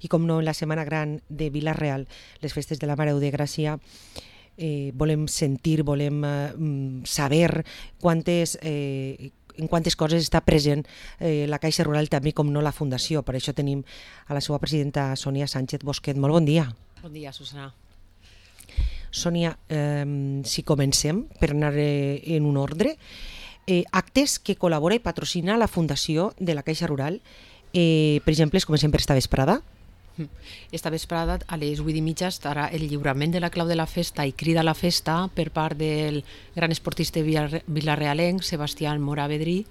i com no en la Setmana Gran de Vila-real, les festes de la Mare de Gràcia, volem sentir, volem saber en quantes coses està present la Caixa Rural, també com no la Fundació. Per això tenim a la seva presidenta Sònia Sánchez Bosquet. Molt bon dia. Bon dia, Susana. Sònia, si comencem per anar en un ordre, actes que col·labora i patrocina la Fundació de la Caixa Rural, per exemple, comencem per esta vesprada. Esta vesprada a les 8:30 estarà el lliurament de la clau de la festa i crida a la festa per part del gran esportista vilarealenc Sebastián Mora Vedrí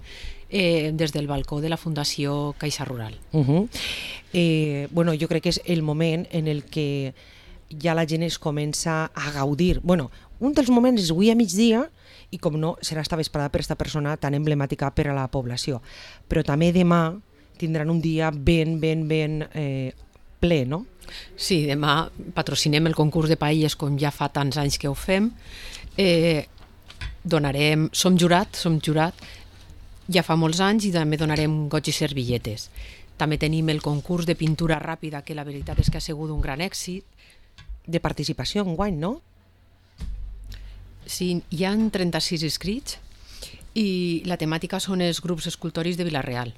des del balcó de la Fundació Caixa Rural. Bueno, jo crec que és el moment en el que ja la gent es comença a gaudir. Bueno, un dels moments és avui a migdia i com no serà esta vesprada per esta persona tan emblemàtica per a la població. Però també demà tindran un dia ben ple, no? Sí, demà patrocinem el concurs de paelles com ja fa tants anys que ho fem. Som jurat, ja fa molts anys, i també donarem goig i servilletes. També tenim el concurs de pintura ràpida, que la veritat és que ha sigut un gran èxit. De participació enguany, no? Sí, hi ha 36 inscrits i la temàtica són els grups escultòrics de Vila-real.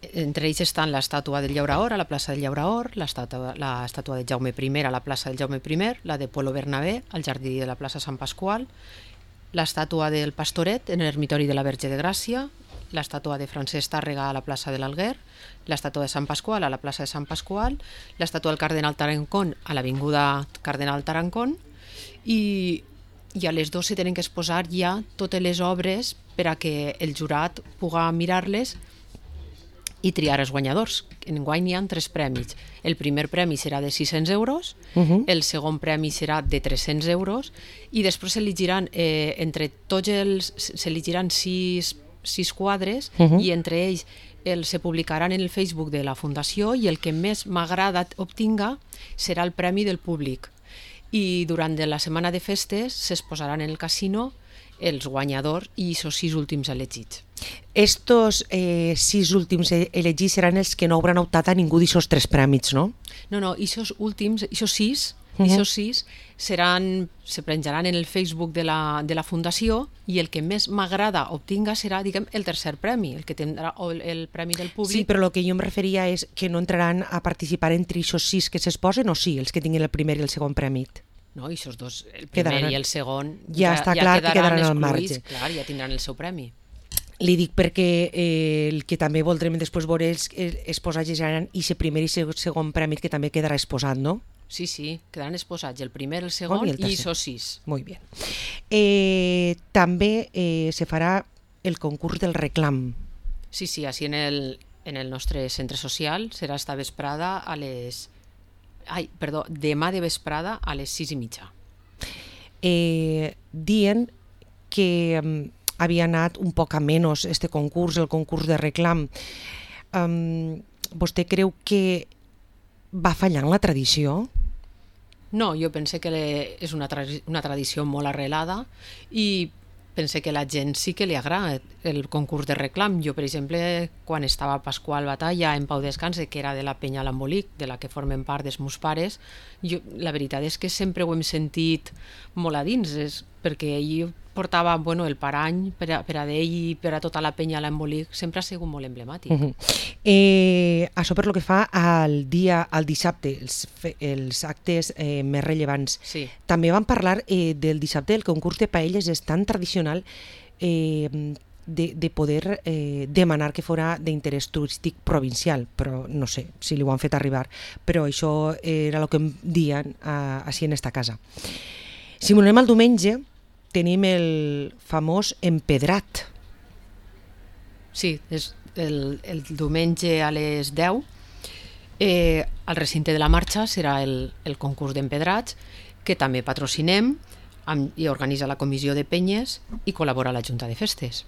Entre ells estan l'estàtua del Llauraor a la plaça del Llauraor, l'estàtua de Jaume I a la plaça del Jaume I, la de Pueblo Bernabé al jardí de la plaça Sant Pasqual, l'estàtua del Pastoret en l'ermitori de la Verge de Gràcia, l'estàtua de Francesc Tàrrega a la plaça de l'Alguer, l'estàtua de Sant Pasqual a la plaça de Sant Pasqual, l'estàtua del Cardenal Tarancón a l'avinguda Cardenal Tarancón, i a les 12 tenen que exposar ja totes les obres per a que el jurat pugui mirar-les i triar els guanyadors. Enguany hi ha 3 premis. El primer premi serà de 600 euros, el segon premi serà de 300 euros i després s'elegiran entre tots s'elegiran 6 quadres i entre ells se publicaran en el Facebook de la Fundació i el que més m'agrada obtinga serà el premi del públic. I durant la setmana de festes s'exposaran en el casino els guanyadors i els 6 últims elegits. Estos 6 últims elegits seran els que no hauran optat a ningú d'aquests 3 prèmits, no? No, aquests últims, aquests 6 se penjaran en el Facebook de la Fundació i el que més m'agrada obtinga serà, diguem, el tercer premi, el que tindrà el premi del públic. Sí, però el que jo em referia és que no entraran a participar entre aquests 6 que s'exposen o sí, els que tinguin el primer i el segon premi. No, aquests dos, el primer i el segon, ja està clar que quedaran al marge. Clar, ja tindran el seu premi. Li dic perquè el que també voldrem després veure és exposar seran aquest primer i segon premi que també quedarà exposat, no? Sí, quedaran exposats el primer, el segon i els 6. Molt bé. També se farà el concurs del reclam. Sí, així en el nostre centre social serà esta vesprada demà de vesprada a les 6:30. Dient que havia anat un poc a menys este concurs, el concurs de reclam. Vostè creu que va fallant la tradició? No, jo pense que és una tradició molt arrelada i pense que a la gent sí que li agrada el concurs de reclam. Jo, per exemple, quan estava a Pasqual Batalla en Pau Descanse, que era de la Penya L'Embolic, de la que formen part dels meus pares, la veritat és que sempre ho hem sentit molt a dins, perquè ell portava el parany per a d'ell i per a tota la Penya L'Embolic, sempre ha sigut molt emblemàtic. Això per lo que fa al dissabte, els actes més rellevants. Sí. També vam parlar del dissabte, el concurs de paelles és tan tradicional de poder demanar que fora d'interès turístic provincial, però no sé si li ho han fet arribar, però això era el que em diuen així en esta casa. Si anem al diumenge, tenim el famós empedrat. Sí, és el diumenge a les 10. Al recinte de la marxa serà el concurs d'empedrats, que també patrocinem i organitza la comissió de penyes i col·labora la Junta de Festes.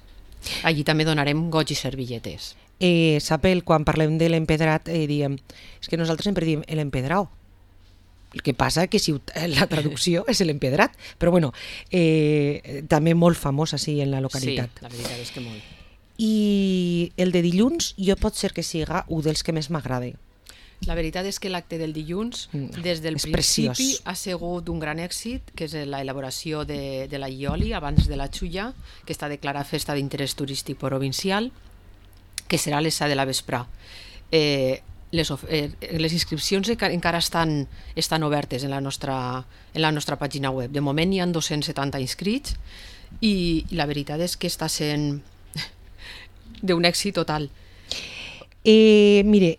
Allí també donarem goig i servilletes. Sap, quan parlem de l'empedrat, diem, és que nosaltres sempre diem l'empedrao. El que passa que si la traducció és l'empedrat, però bueno, també molt famós així en la localitat. Sí, la veritat és que molt. I el de dilluns jo pot ser que siga un dels que més m'agrada. La veritat és que l'acte del dilluns, des del principi, ha sigut un gran èxit, que és l'elaboració de la Ioli abans de la Xulla, que està declarada festa d'interès turístic provincial, que serà a les 7 de la vesprà. Les inscripcions encara estan obertes en la nostra pàgina web. De moment hi ha 270 inscrits i la veritat és que està sent d'un èxit total. Mire,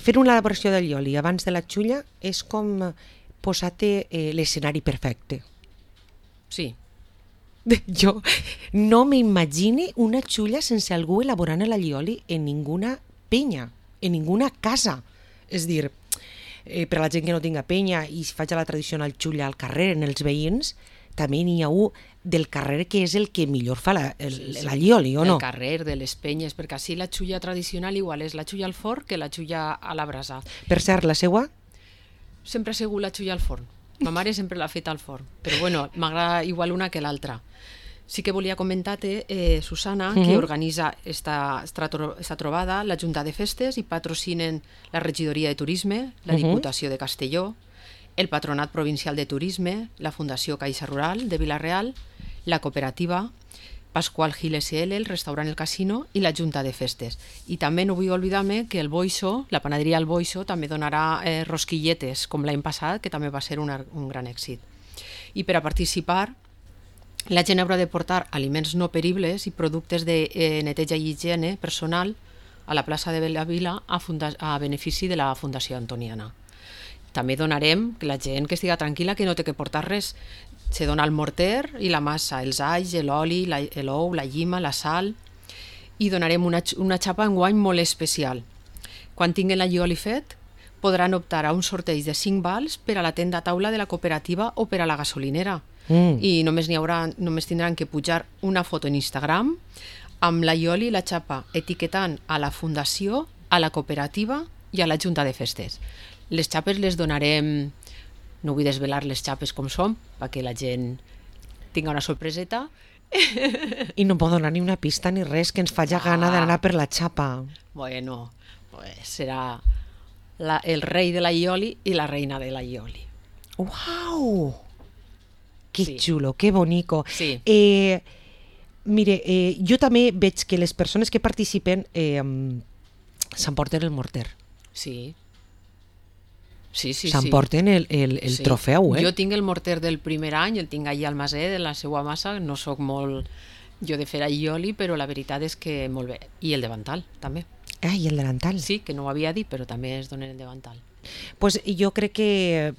fer una elaboració del Ioli abans de la Xulla és com posar-te l'escenari perfecte. Sí. Jo no m'imagine una Xulla sense algú elaborant l'allioli en ninguna penya, en ninguna casa. És dir, per a la gent que no tinga penya i faig la tradicional Xulla al carrer, en els veïns, també n'hi ha un del carrer que és el que millor fa l'allioli, o no? El carrer, de les penyes, perquè així la Xulla tradicional igual és la Xulla al forn que la Xulla a la brasa. Per cert, la seua? Sempre ha sigut la Xulla al forn. Ma mare sempre l'ha fet al forn, però bueno, m'agrada igual una que l'altra. Sí que volia comentar-te, Susana, que organitza esta trobada la Junta de Festes i patrocinen la Regidoria de Turisme, la Diputació de Castelló, el Patronat Provincial de Turisme, la Fundació Caixa Rural de Vila-real, la Cooperativa, Pasqual Gil SL, el Restaurant El Casino i la Junta de Festes. I també no vull oblidar-me que el Boixo, la panaderia El Boixo, també donarà rosquilletes, com l'any passat, que també va ser un gran èxit. I per a participar, la gent haurà de portar aliments no peribles i productes de neteja i higiene personal a la plaça de la Vila a benefici de la Fundació Antoniana. També donarem que la gent que estigui tranquil·la, que no té que portar res. Se dona el morter i la massa, els alls, l'oli, l'ou, la llima, la sal, i donarem una xapa enguany molt especial. Quan tinguin l'allioli fet, podran optar a un sorteig de 5 vals per a la tenda taula de la cooperativa o per a la gasolinera. I només tindran que pujar una foto en Instagram amb l'allioli i la xapa, etiquetant a la Fundació, a la cooperativa i a la Junta de Festes. Les xapes les donarem, no vull desvelar les xapes com són, perquè la gent tinga una sorpreseta. I no pot donar ni una pista ni res que ens faci gana d'anar per la xapa. Bueno, pues serà el rei de l'allioli i la reina de l'allioli. Uau! Que xulo, que bonico. Sí. Mire, jo també veig que les persones que participen s'emporten el morter. Sí. S'emporten el trofeu, Jo tinc el morter del primer any, el tinc allà al maser de la seva massa, no sóc molt jo de fer allioli, però la veritat és que molt bé. I el davantal, també. I el davantal. Sí, que no ho havia dit, però també es donen el davantal. Pues jo crec que...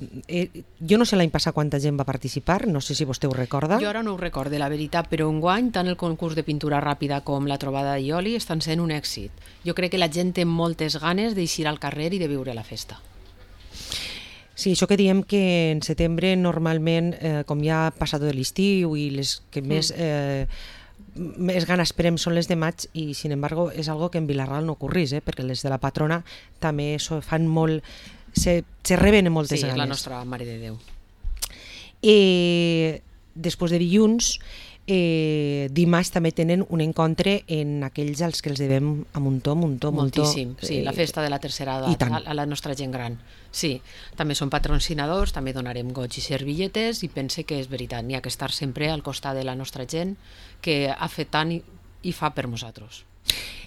jo no sé l'any passat quanta gent va participar, no sé si vostè ho recorda. Jo ara no ho recorde, la veritat, però enguany tant el concurs de pintura ràpida com la trobada d'allioli estan sent un èxit. Jo crec que la gent té moltes ganes d'eixir al carrer i de viure la festa. Sí, això que diem que en setembre normalment, com ja ha passat de l'estiu i les que més ganes esperem són les de maig, i sin embargo és algo que en Vila-real no ocorrís, perquè les de la patrona també fan molt, se reben moltes ganes. Sí, és la nostra Mare de Déu. Després de dilluns, dimarts també tenen un encontre en aquells als que els devem a muntó. Moltíssim, sí, la festa de la tercera edat, a la nostra gent gran. Sí, també són patrocinadors, també donarem goig i servilletes, i pense que és veritat, n'hi ha que estar sempre al costat de la nostra gent que ha fet tant i fa per nosaltres.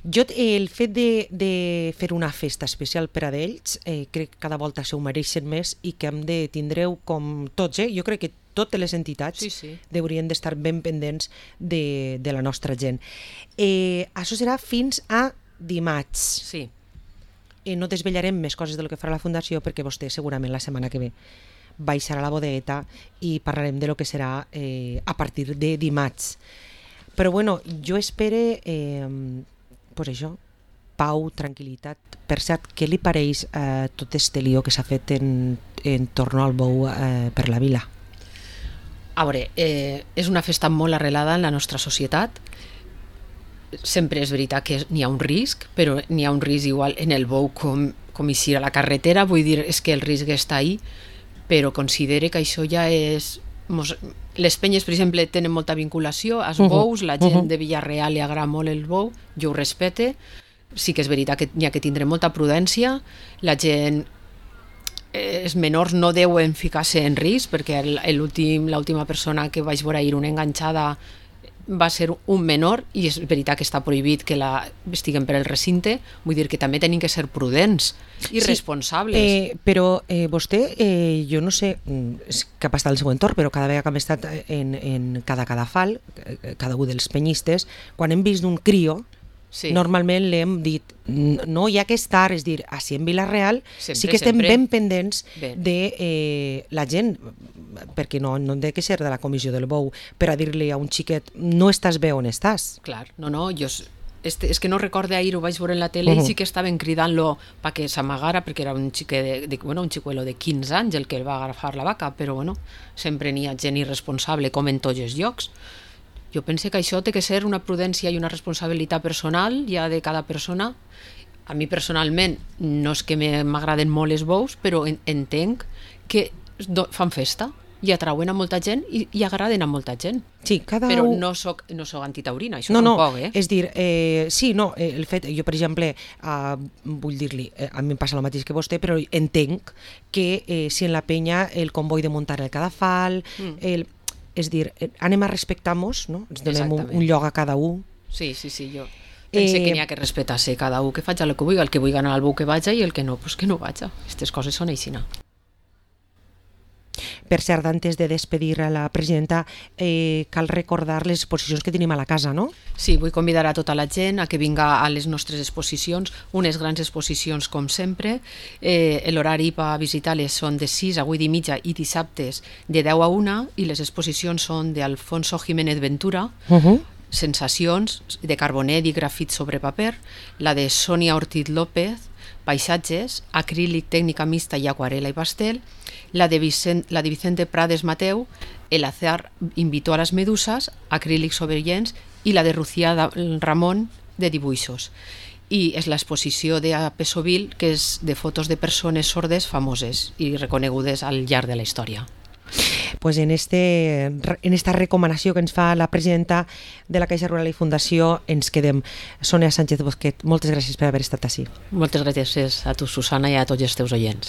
Jo el fet de fer una festa especial per a ells, crec que cada volta s'ho mereixen més i que hem de tindreu com tots, jo crec que totes les entitats haurien d'estar ben pendents de la nostra gent. Això serà fins a dimarts. Sí. No desvetllarem més coses del que farà la Fundació perquè vostè segurament la setmana que ve baixarà a la bodegueta i parlarem de lo que serà a partir de dimarts. Però bueno, jo espere pues això, pau, tranquil·litat. Per cert, què li pareix tot este lío que s'ha fet en torno al bou per la vila? A veure, és una festa molt arrelada en la nostra societat. Sempre és veritat que n'hi ha un risc, però n'hi ha un risc igual en el bou com eixir a la carretera, vull dir, és que el risc està ahí, però considere que això ja és... Les penyes, per exemple, tenen molta vinculació als bous, la gent de Vila-real li agrada molt el bou, jo ho respecte, sí que és veritat que n'hi ha que tindre molta prudència, la gent, els menors no deuen ficar-se en risc, perquè l'última persona que vaig veure ahir una enganxada va ser un menor, i és veritat que està prohibit que estiguen per el recinte, vull dir que també tenim que ser prudents i responsables. Però vostè, jo no sé què ha passat al seu entorn, però cada vegada que hem estat en cada cadafal, cada un dels penyistes, quan hem vist un crio, normalment l'hem dit, no hi ha que estar, és dir, així en Vila-real sí que estem ben pendents de la gent, perquè no hem de que ser de la comissió del bou per a dir-li a un xiquet, no estàs bé on estàs. Clar, no, jo és que no recorde ahir, ho vaig veure en la tele i sí que estaven cridant-lo perquè s'amagara, perquè era un xicuelo de 15 anys el que el va agafar la vaca, però bueno, sempre n'hi ha gent irresponsable com en tots els llocs. Jo penso que això té que ser una prudència i una responsabilitat personal ja de cada persona. A mi personalment no és que m'agraden molt els bous, però entenc que fan festa i atrauen a molta gent i agraden a molta gent. Sí, però no soc antitaurina, això tampoc, És dir, sí, no, el fet, jo per exemple, vull dir-li, a mi em passa el mateix que vostè, però entenc que si en la penya el comboi de muntar el cadafal, és dir, anem a respectar-nos, no? Ens donem un lloc a cada un. Sí, jo penso que n'hi ha que respectar-se cada un, que faig el que vulgui, el que vulgui anar al bou que vaja i el que no, pues que no vaja. Aquestes coses són així. Per cert, antes de despedir a la presidenta, cal recordar les exposicions que tenim a la casa, no? Sí, vull convidar a tota la gent a que vinga a les nostres exposicions, unes grans exposicions com sempre. L'horari per visitar-les són de 6 a 8:30 i dissabtes de 10 a 1, i les exposicions són d'Alfonso Jiménez Ventura, Sensacions, de Carbonet i grafit sobre paper, la de Sonia Ortiz López, Paisatges, acrílic, tècnica mixta i aquarela i pastel, la de Vicente Prades Mateu, El azar invitó a las medusas, acrílic sobre llenç, i la de Lucía Ramón, de dibuixos. I és l'exposició de Pesovil, que és de fotos de persones sordes famoses i reconegudes al llarg de la història. Pues en esta recomanació que ens fa la presidenta de la Caixa Rural i Fundació ens quedem. Sònia Sánchez Bosquet, moltes gràcies per haver estat així. Moltes gràcies a tu, Susana, i a tots els teus oients.